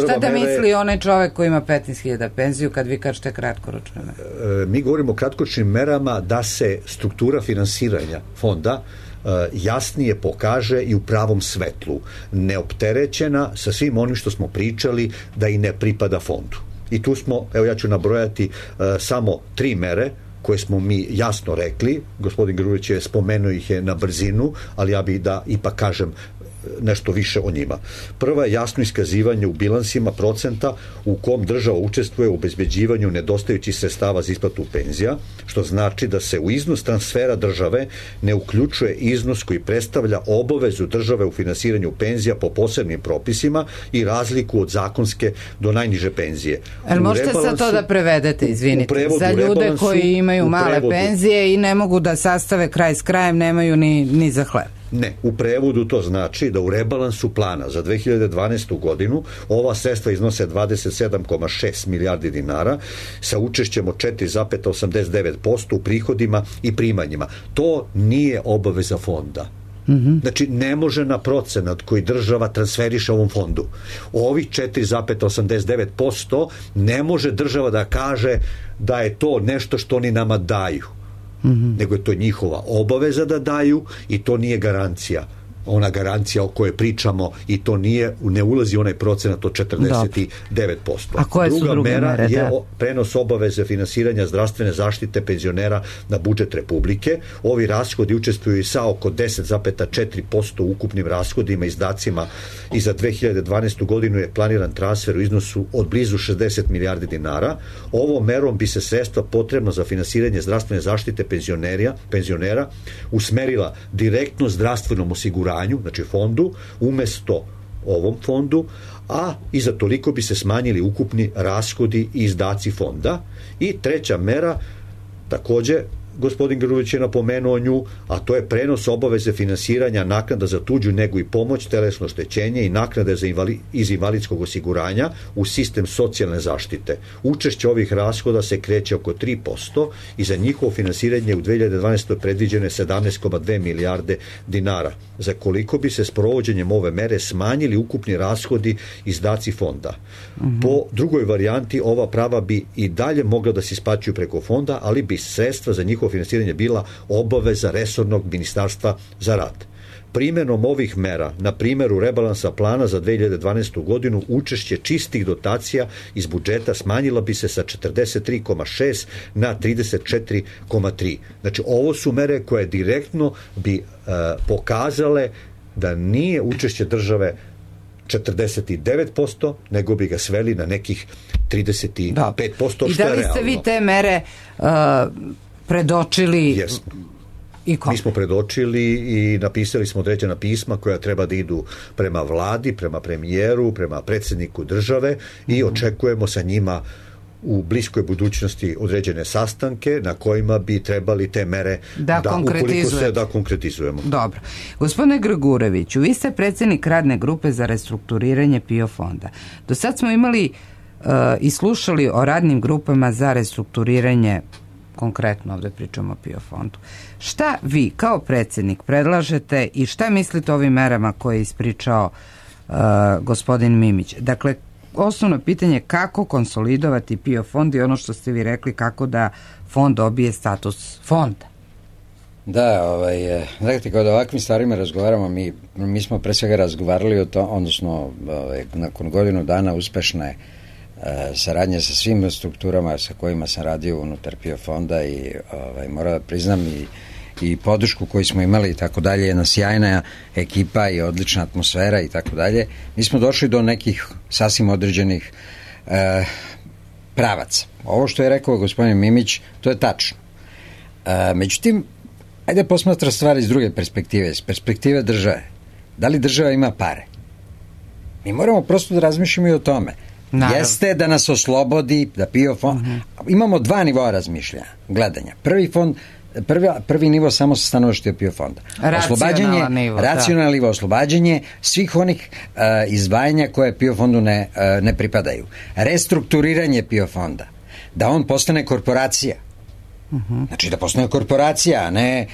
Šta da mere, misli onaj čovek koji ima petnaest hiljada penziju kad vi kažete kratkoročne mere? E, mi govorimo o kratkoročnim merama da se struktura finansiranja fonda e, jasnije pokaže i u pravom svetlu, neopterećena sa svim onim što smo pričali da i ne pripada fondu. I tu smo, evo ja ću nabrojati e, samo tri mere koje smo mi jasno rekli, gospodin Grujić je spomenuo ih je na brzinu, ali ja bih da ipak kažem nešto više o njima. Prva je jasno iskazivanje u bilansima procenta u kom država učestvuje u obezbeđivanju nedostajućih sredstava za isplatu penzija, što znači da se u iznos transfera države ne uključuje iznos koji predstavlja obavezu države u finansiranju penzija po posebnim propisima i razliku od zakonske do najniže penzije. Ali možete sad to da prevedete, izvinite, za ljude koji imaju male penzije i ne mogu da sastave kraj s krajem, nemaju ni, ni za hleb. Ne, u prevodu to znači da u rebalansu plana za dve hiljade dvanaestu godinu ova sredstva iznose dvadeset sedam zarez šest milijardi dinara sa učešćem od četiri zarez osamdeset devet posto u prihodima i primanjima. To nije obaveza fonda. Mm-hmm. Znači, ne može na procenat koji država transferiše ovom fondu. Ovih četiri zarez osamdeset devet posto ne može država da kaže da je to nešto što oni nama daju. Mm-hmm. Nego je to njihova obaveza da daju i to nije garancija. Ona garancija o kojoj pričamo i to nije, ne ulazi onaj procenat od četrdeset devet posto. A koje su druga druge mera mere? je Da. prenos obaveze finansiranja zdravstvene zaštite penzionera na budžet Republike. Ovi rashodi učestvuju i sa oko deset zarez četiri posto u ukupnim rashodima i izdacima i za dve hiljade dvanaestu godinu je planiran transfer u iznosu od blizu šezdeset milijardi dinara. Ovom merom bi se sredstva potrebna za finansiranje zdravstvene zaštite penzionera, penzionera usmerila direktno zdravstvenom osiguranju, znači fondu, umesto ovom fondu, a i za toliko bi se smanjili ukupni rashodi i izdaci fonda. I treća mera, takođe, gospodin Grujić je napomenuo nju, a to je prenos obaveze finansiranja naknada za tuđu negu i pomoć, telesno oštećenje i naknade za invali, iz invalidskog osiguranja u sistem socijalne zaštite. Učešće ovih rashoda se kreće oko tri posto i za njihovo finansiranje u dve hiljade dvanaestoj predviđeno je sedamnaest zarez dve milijarde dinara, za koliko bi se s provođenjem ove mere smanjili ukupni rashodi izdaci fonda. Mm-hmm. Po drugoj varijanti ova prava bi i dalje mogla da se isplaćuju preko fonda, ali bi sredstva za njihovo finansiranje bila obaveza resornog ministarstva za rad. Primjenom ovih mera, na primjeru rebalansa plana za dve hiljade dvanaestu godinu, učešće čistih dotacija iz budžeta smanjila bi se sa četrdeset tri zarez šest na trideset četiri zarez tri. Znači, ovo su mere koje direktno bi e, pokazale da nije učešće države četrdeset devet posto, nego bi ga sveli na nekih trideset pet posto, da. što je realno. I da li ste vi te mere uh, predočili? Jesmo. I kom? Mi smo predočili i napisali smo određena pisma koja treba da idu prema vladi, prema premijeru, prema predsjedniku države i očekujemo sa njima u bliskoj budućnosti određene sastanke na kojima bi trebali te mere da, da ukoliko se da konkretizujemo. Dobro. Gospodine Grgureviću, vi ste predsjednik radne grupe za restrukturiranje PIO fonda. Do sad smo imali uh, i slušali o radnim grupama za restrukturiranje, konkretno ovdje pričamo o PIO fondu. Šta vi kao predsjednik predlažete i šta mislite o ovim merama koje je ispričao uh, gospodin Mimić? Dakle, osnovno pitanje je kako konsolidovati PIO fond i ono što ste vi rekli, kako da fond dobije status fonda. Da, ovaj, dakle, kada o ovakvim stvarima razgovaramo, mi, mi smo pre svega razgovarali o to, odnosno ovaj, nakon godinu dana uspešne e, saradnje sa svim strukturama sa kojima sam radio unutar PIO fonda i ovaj, moram da priznam i i podršku koju smo imali i tako dalje, jedna sjajna ekipa i odlična atmosfera i tako dalje. Mi smo došli do nekih sasvim određenih e, pravaca. Ovo što je rekao gospodin Mimić, to je tačno. E, međutim, ajde posmatra stvari iz druge perspektive, iz perspektive države. Da li država ima pare? Mi moramo prosto da razmišljamo i o tome. Naravno. Jeste da nas oslobodi, da PIO fond... Uh-huh. Imamo dva nivoa razmišljanja, gledanja. Prvi fond Prvi, prvi nivo samo sa stanovišta PIO fonda. Oslobađanje, nivo, racionalno nivo, oslobađanje svih onih uh, izdvajanja koje PIO fondu ne, uh, ne pripadaju. Restrukturiranje PIO fonda. Da on postane korporacija. Uh-huh. Znači da postoje korporacija, a ne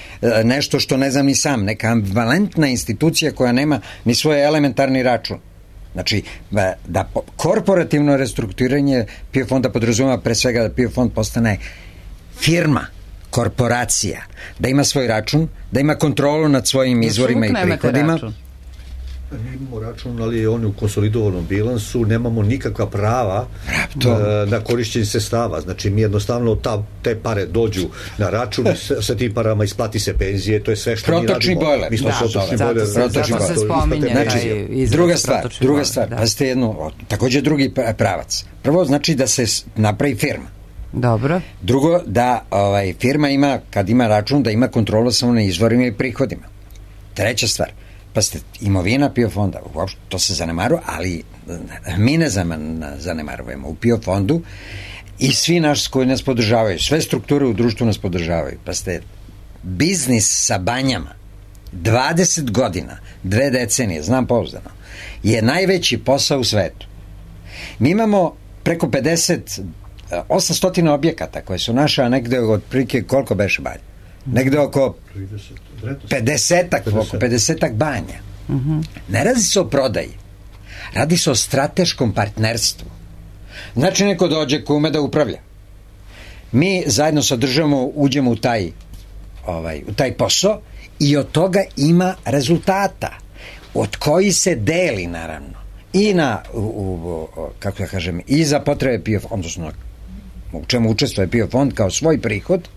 nešto što ne znam ni sam, neka ambivalentna institucija koja nema ni svoj elementarni račun. Znači, da korporativno restrukturiranje P I O fonda podrazumeva pre svega da P I O fond postane firma, korporacija, da ima svoj račun, da ima kontrolu nad svojim izvorima i prihodima. Mi imamo račun, ali on je u konsolidovanom bilansu, nemamo nikakva prava na, na korišćenje sredstava. Znači, mi jednostavno ta, te pare dođu na račun, sa, sa tim parama isplati se penzije, to je sve što protočni mi radimo. Bojler. Mi smo da, protočni zato, bojler. Zato, zato, zato se spominje. Znači, druga stvar, druga stvar, da. Pazite jedno, također drugi pravac. Prvo, znači da se napravi firma. Dobro. Drugo, da ovaj, firma ima, kad ima račun, da ima kontrolu samo na izvorima i prihodima. Treća stvar, pa ste imovina P I O fonda, uopšte to se zanemaruje, ali mi ne zanemarujemo u P I O fondu i svi naši koji nas podržavaju, sve strukture u društvu nas podržavaju, pa ste biznis sa banjama dvadeset godina, dve decenije, znam pouzdano, je najveći posao u svetu. Mi imamo preko pedeset, osamsto objekata koje su naše, a negde otprilike koliko beše banja? Negde oko pedesetak, oko pedesetak banja. Uh-huh. Ne radi se o prodaji, radi se o strateškom partnerstvu. Znači neko dođe ko ume da upravlja. Mi zajedno sa državom uđemo u taj, ovaj, u taj posao i od toga ima rezultata od koji se deli naravno i na u, u, kako da kažem, i za potrebe P I O fonda, odnosno u čemu učestvuje P I O fond kao svoj prihod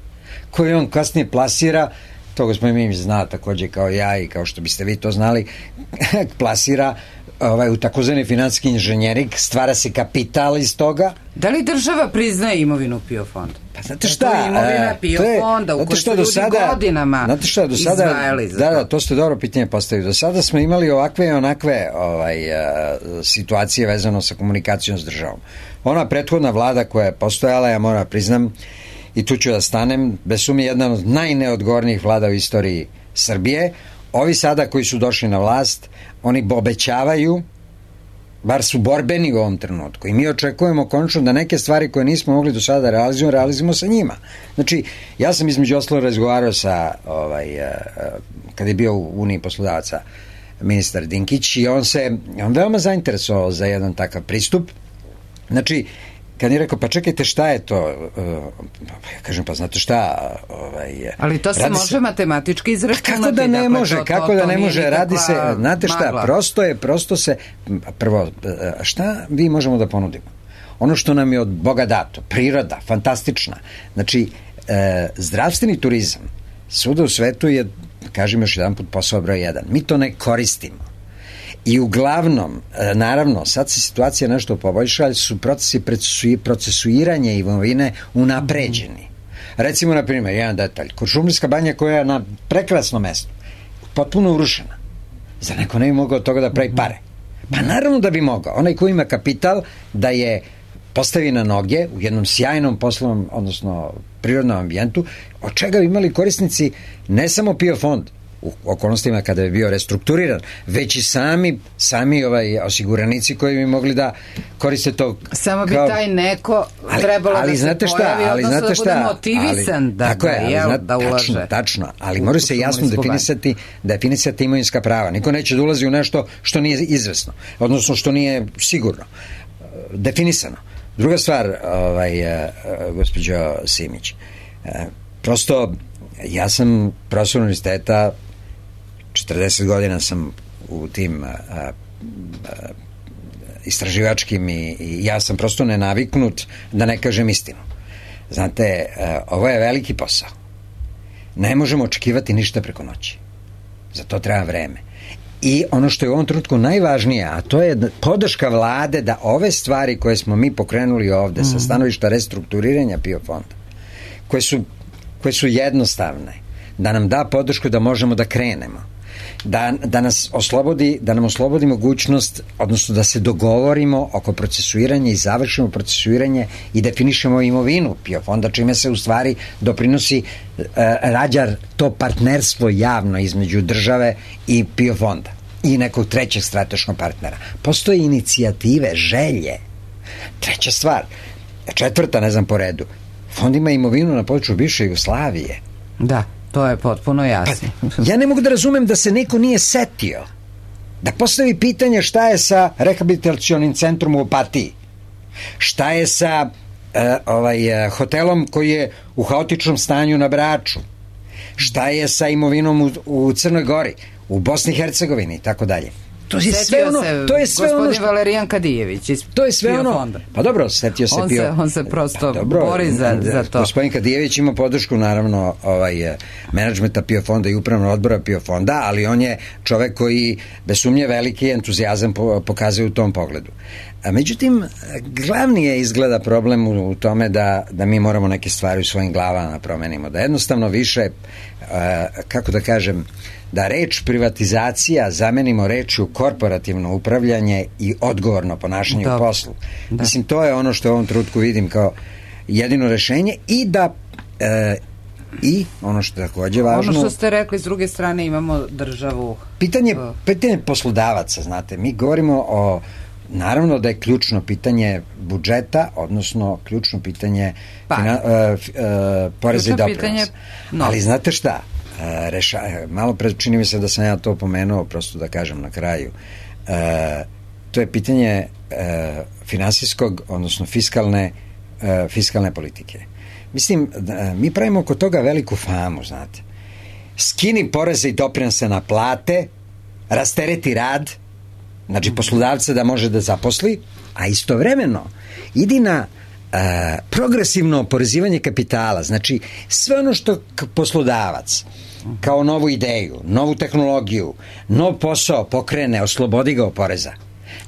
koji on kasnije plasira, to gospodin Mimić zna takođe kao ja i kao što biste vi to znali, plasira ovaj, u takozvani finansijski inženjering, stvara se kapital iz toga. Da li država priznaje imovinu P I O fonda? Pa znate šta? To je imovina P I O fonda u kojoj su ljudi sada, godinama znate šta, do sada, izdvajali za da, to. Da, to ste dobro pitanje postavili. Do sada smo imali ovakve i onakve ovaj, situacije vezano sa komunikacijom s državom. Ona prethodna vlada koja je postojala, ja moram priznam, i tu ću da stanem, bez sumnje jedna od najneodgovornijih vlada u istoriji Srbije. Ovi sada koji su došli na vlast, oni obećavaju, bar su borbeni u ovom trenutku i mi očekujemo konačno da neke stvari koje nismo mogli do sada da realizujemo, realizujemo sa njima. Znači, ja sam između ostalog razgovarao sa, ovaj, kada je bio u Uniji poslodavaca ministar Dinkić i on se, on veoma zainteresovao za jedan takav pristup. Znači, kad je rekao, pa čekajte, šta je to? Ja kažem, pa znate šta? Ovaj, ali to se može se matematički izračunati. Kako da ne može, to, kako to, da ne može, radi se, znate šta, magla. prosto je, prosto se, prvo, šta vi možemo da ponudimo? Ono što nam je od Boga dato, priroda, fantastična. Znači, e, zdravstveni turizam, svuda u svetu je, kažem još jedan put, posao broj jedan. Mi to ne koristimo. I uglavnom, naravno, sad se situacija nešto poboljša, ali su procesi procesuiranja imovine unapređeni. Recimo, na primjer, jedan detalj. Kuršumlijska banja koja je na prekrasnom mestu, potpuno urušena. Zar neko ne bi mogao od toga da pravi pare? Pa naravno da bi mogao. Onaj ko ima kapital da je postavi na noge u jednom sjajnom poslovnom, odnosno prirodnom ambijentu, od čega bi imali korisnici ne samo P I O fond, u okolnostima kada je bio restrukturiran, već i sami, sami ovaj osiguranici koji bi mogli da koriste to. Samo bi kao, taj neko trebalo ali, ali da se pojavi, šta, ali odnosno da bude motivisan ali, da, tako je, ali, jel, znate, da ulaže. Tačno, tačno, ali mora se jasno definisati, definisati imovinska prava. Niko neće da ulazi u nešto što nije izvesno, odnosno što nije sigurno, definisano. Druga stvar, ovaj, gospođo Simić, prosto ja sam profesor univerziteta, četrdeset godina sam u tim a, a, istraživačkim i, i ja sam prosto nenaviknut da ne kažem istinu. Znate, a, ovo je veliki posao. Ne možemo očekivati ništa preko noći. Za to treba vreme. I ono što je u ovom trenutku najvažnije, a to je podrška vlade da ove stvari koje smo mi pokrenuli ovde mm. sa stanovišta restrukturiranja P I O fonda, koje su, koje su jednostavne, da nam da podršku da možemo da krenemo. Da, da nas oslobodi, da nam oslobodi mogućnost, odnosno da se dogovorimo oko procesuiranja i završimo procesuiranje i definišemo imovinu P I O fonda, čime se u stvari doprinosi uh, rađar to partnerstvo javno između države i P I O fonda i nekog trećeg strateškog partnera. Postoje inicijative, želje. Treća stvar, četvrta, ne znam po redu, Fond ima imovinu na području bivše Jugoslavije. Da, to je potpuno jasno. Pa, ja ne mogu da razumem da se neko nije setio da postavi pitanje šta je sa rehabilitacionim centrom u Opatiji, šta je sa uh, ovaj, uh, hotelom koji je u haotičnom stanju na Braču, šta je sa imovinom u, u Crnoj Gori, u Bosni i Hercegovini i tako dalje. To je sve ono, to je sve ono što Valerijan Kadijević iz to je sve ono. Fonda. Pa dobro, setio se on Pio. Se, on se prosto pa dobro, bori za, za to. Gospodin Kadijević ima podršku naravno ovaj menadžmenta Pio Fonda i upravnog odbora Pio Fonda, ali on je čovek koji bez sumnje veliki entuzijazam pokazuje u tom pogledu. A međutim, glavni je izgleda problem u, u tome da, da mi moramo neke stvari u svojim glavama promenimo, da jednostavno više, uh, kako da kažem, da reč privatizacija zamenimo rečju korporativno upravljanje i odgovorno ponašanje da. u poslu. Da. Mislim, to je ono što u ovom trenutku vidim kao jedino rešenje i da e, i ono što je takođe važno... Ono što ste rekli, s druge strane imamo državu... Pitanje, pitanje poslodavaca, znate, mi govorimo o... Naravno da je ključno pitanje budžeta, odnosno ključno pitanje pa, fina, uh, uh, poreza i doprinosa. No. Ali znate šta? Uh, reša, malo pre čini mi se da sam ja to pomenuo, prosto da kažem na kraju. Uh, to je pitanje uh, finansijskog, odnosno fiskalne, uh, fiskalne politike. Mislim, da, mi pravimo oko toga veliku famu, znate. Skini poreze i doprinose na plate, rastereti rad, znači poslodavca da može da zaposli, a istovremeno idi na uh, progresivno oporezivanje kapitala, znači sve ono što poslodavac kao novu ideju, novu tehnologiju, nov posao pokrene, oslobodi ga od poreza.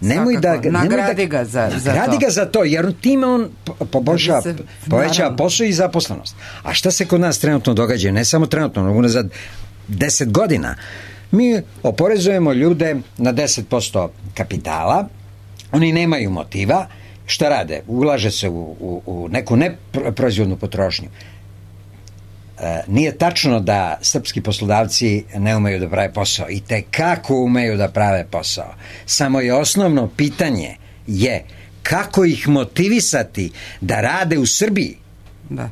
Nemoj da, nagradi ga za, za nagradi to. ga za to, jer time on poboljša, poveća posao i zaposlenost. A šta se kod nas trenutno događa? Ne samo trenutno, nego unazad deset godina. Mi oporezujemo ljude na deset posto kapitala, oni nemaju motiva, šta rade? Ulaže se u, u, u neku neproizvodnu potrošnju. E, nije tačno da srpski poslodavci ne umeju da prave posao, i te kako umeju da prave posao. Samo je osnovno pitanje je kako ih motivisati da rade u Srbiji. Da.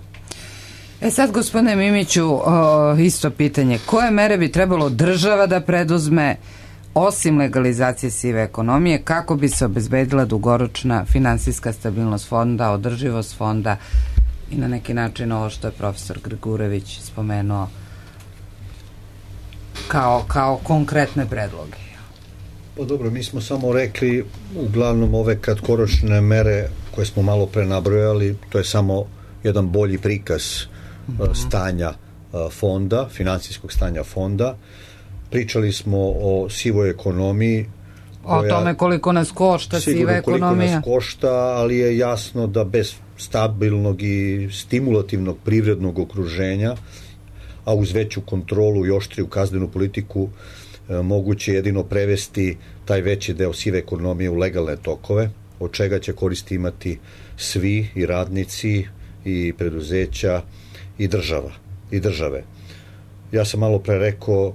E sad, gospodine Mimiću, o, isto pitanje. Koje mere bi trebalo država da preduzme osim legalizacije sive ekonomije kako bi se obezbedila dugoročna finansijska stabilnost fonda, održivost fonda i na neki način ovo što je profesor Grgurević spomenuo kao, kao konkretne predloge? Pa dobro, mi smo samo rekli uglavnom ove kratkoročne mere koje smo malo pre nabrojali, to je samo jedan bolji prikaz stanja fonda, finansijskog stanja fonda. Pričali smo o sivoj ekonomiji. O koja, tome koliko nas košta siva ekonomija. Koliko nas košta, ali je jasno da bez stabilnog i stimulativnog privrednog okruženja, a uz veću kontrolu i oštriju kaznenu politiku, moguće jedino prevesti taj veći deo sive ekonomije u legalne tokove, od čega će koristi imati svi, i radnici, i preduzeća, i država, i države. Ja sam malo pre rekao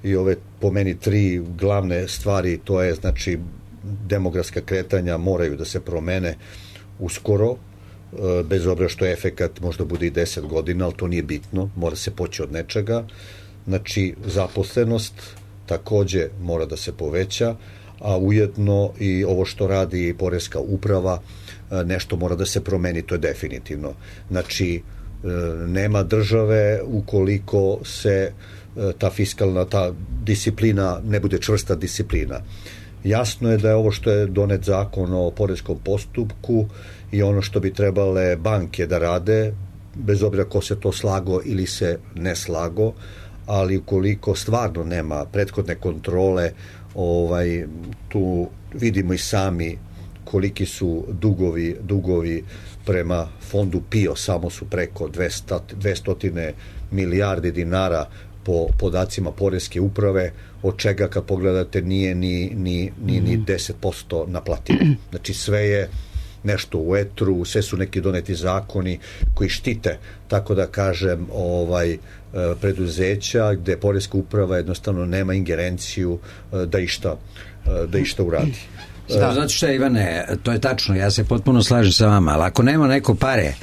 i ove po meni tri glavne stvari, to je znači demografska kretanja moraju da se promene uskoro, bez obzira što je efekat možda bude i deset godina, ali to nije bitno, mora se poći od nečega. Znači zaposlenost takođe mora da se poveća, a ujedno i ovo što radi poreska uprava nešto mora da se promeni, to je definitivno. Znači nema države ukoliko se ta fiskalna, ta disciplina ne bude čvrsta disciplina. Jasno je da je ovo što je donet zakon o poreskom postupku i ono što bi trebale banke da rade, bez obzira ko se to slago ili se ne slago, ali ukoliko stvarno nema prethodne kontrole, ovaj, tu vidimo i sami koliki su dugovi, dugovi prema fondu PIO, samo su preko dvesta milijardi dinara po podacima poreske uprave, od čega kad pogledate nije ni, ni, ni, ni deset posto naplativo. Znači sve je nešto u etru, sve su neki doneti zakoni koji štite, tako da kažem, ovaj preduzeća gde poreska uprava jednostavno nema ingerenciju da išta, da išta uradi. Da, znate šta, Ivane, to je tačno, ja se potpuno slažem sa vama, ali ako nema neko pare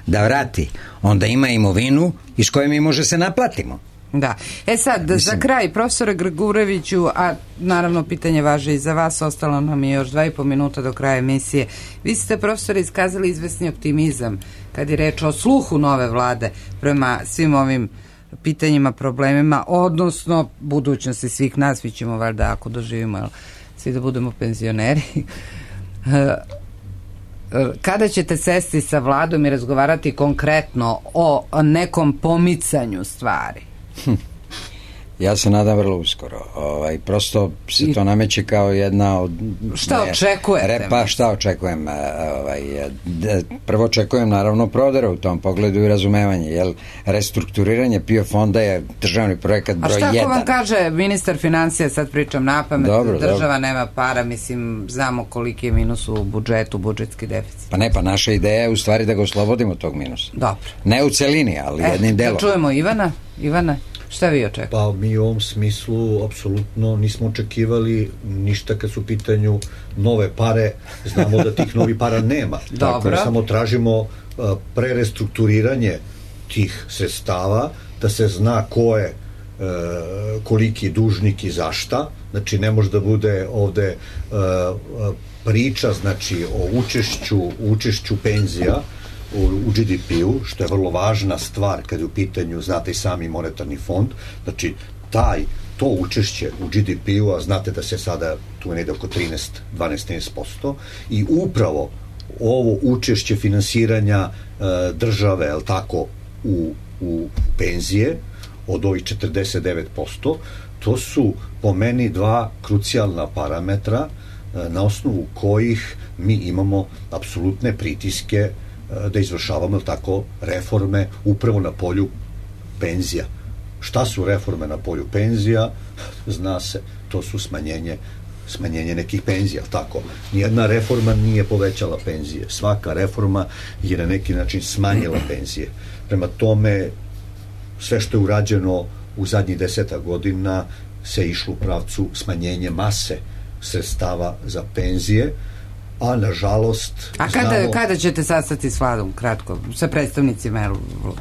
da vrati, onda ima imovinu iz koje mi može se naplatimo. Da. E sad, Mislim... za kraj, profesore Grgureviću, a naravno pitanje važe i za vas, ostalo nam je još dva i po minuta do kraja emisije. Vi ste, profesore, iskazali izvesni optimizam kad je reč o sluhu nove vlade prema svim ovim pitanjima, problemima, odnosno budućnosti svih nas. Vi ćemo valjda, ako doživimo, svi da budemo penzioneri. Kada ćete sesti sa vladom i razgovarati konkretno o nekom pomicanju stvari? Hm. Ja se nadam vrlo uskoro. Ovaj, prosto se to nameće kao jedna od... Šta ne, očekujete? Repa, šta očekujem? Ovaj, prvo očekujem naravno prodera u tom pogledu i razumevanje, jer restrukturiranje P I O fonda je državni projekat broj jedan. A šta ako vam kaže ministar financija, sad pričam napamet, dobro, država dobro. Nema para, mislim, znamo koliki je minus u budžetu, budžetski deficit. Pa ne, pa naša ideja je u stvari da ga oslobodimo tog minusa. Dobro. Ne u celini, ali e, jednim delom. Čujemo Ivana. Ivana, šta vi očekujete? Pa mi u ovom smislu apsolutno nismo očekivali ništa kad su u pitanju nove pare. Znamo da tih novih para nema. Dobro. Dakle, samo tražimo uh, prerestrukturiranje tih sredstava, da se zna ko je uh, koliki dužnik i zašta. Znači, ne može da bude ovde uh, priča, znači, o učešću, učešću penzija u G D P-u, što je vrlo važna stvar kad je u pitanju, znate i sami monetarni fond, znači taj, to učešće u G D P-u, a znate da se sada tu je negde oko trinaest do dvanaest do trinaest posto, i upravo ovo učešće finansiranja e, države, je li tako, u, u penzije od ovih četrdeset devet posto, to su po meni dva krucijalna parametra e, na osnovu kojih mi imamo apsolutne pritiske da izvršavamo tako reforme upravo na polju penzija. Šta su reforme na polju penzija? Zna se, to su smanjenje smanjenje nekih penzija, tako. Nijedna reforma nije povećala penzije. Svaka reforma je na neki način smanjila penzije. Prema tome, sve što je urađeno u zadnjih deseta godina se išlo u pravcu smanjenje mase sredstava za penzije, a nažalost... A kada, znamo, kada ćete sastati s vladom, kratko, sa predstavnicima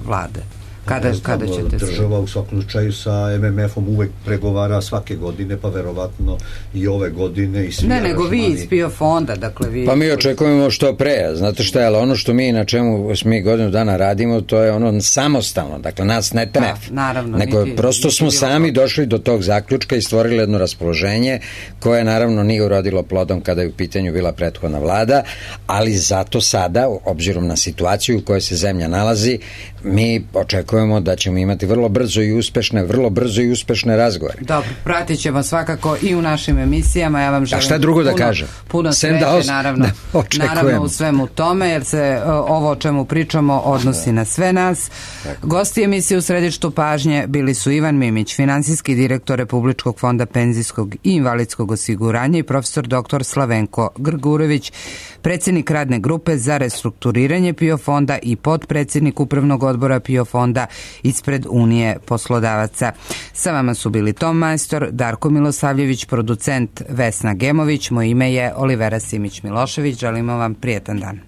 vlade? Kada, znam, kada ćete država u svakom slučaju sa M M F-om uvek pregovara svake godine, pa verovatno i ove godine i svi ne, nego vi iz P I O fonda, dakle vi... Pa mi očekujemo što pre, znate šta je, ali ono što mi na čemu mi godinu dana radimo, to je ono samostalno, dakle nas ne tref, da, naravno, nego niti, prosto smo niti sami došli do tog zaključka i stvorili jedno raspoloženje koje naravno nije urodilo plodom kada je u pitanju bila prethodna vlada, ali zato sada, obzirom na situaciju u kojoj se zemlja nalazi, mi očekujemo da ćemo imati vrlo brzo i uspešne, vrlo brzo i uspešne razgovore. Dobro, pratit ćemo svakako i u našim emisijama. Ja vam želim a šta drugo puno, da kažem? Puno sreće, da os... naravno, da naravno u svemu tome, jer se ovo o čemu pričamo odnosi na sve nas. Tako. Gosti emisije u središtu pažnje bili su Ivan Mimić, finansijski direktor Republičkog fonda penzijskog i invalidskog osiguranja, i profesor doktor Slavenko Grgurević, predsjednik radne grupe za restrukturiranje P I O fonda i potpredsjednik upravnog odbora P I O fonda ispred Unije poslodavaca. Sa vama su bili Tom Majstor, Darko Milosavljević, producent Vesna Gemović, moje ime je Olivera Simić-Milošević. Želimo vam prijetan dan.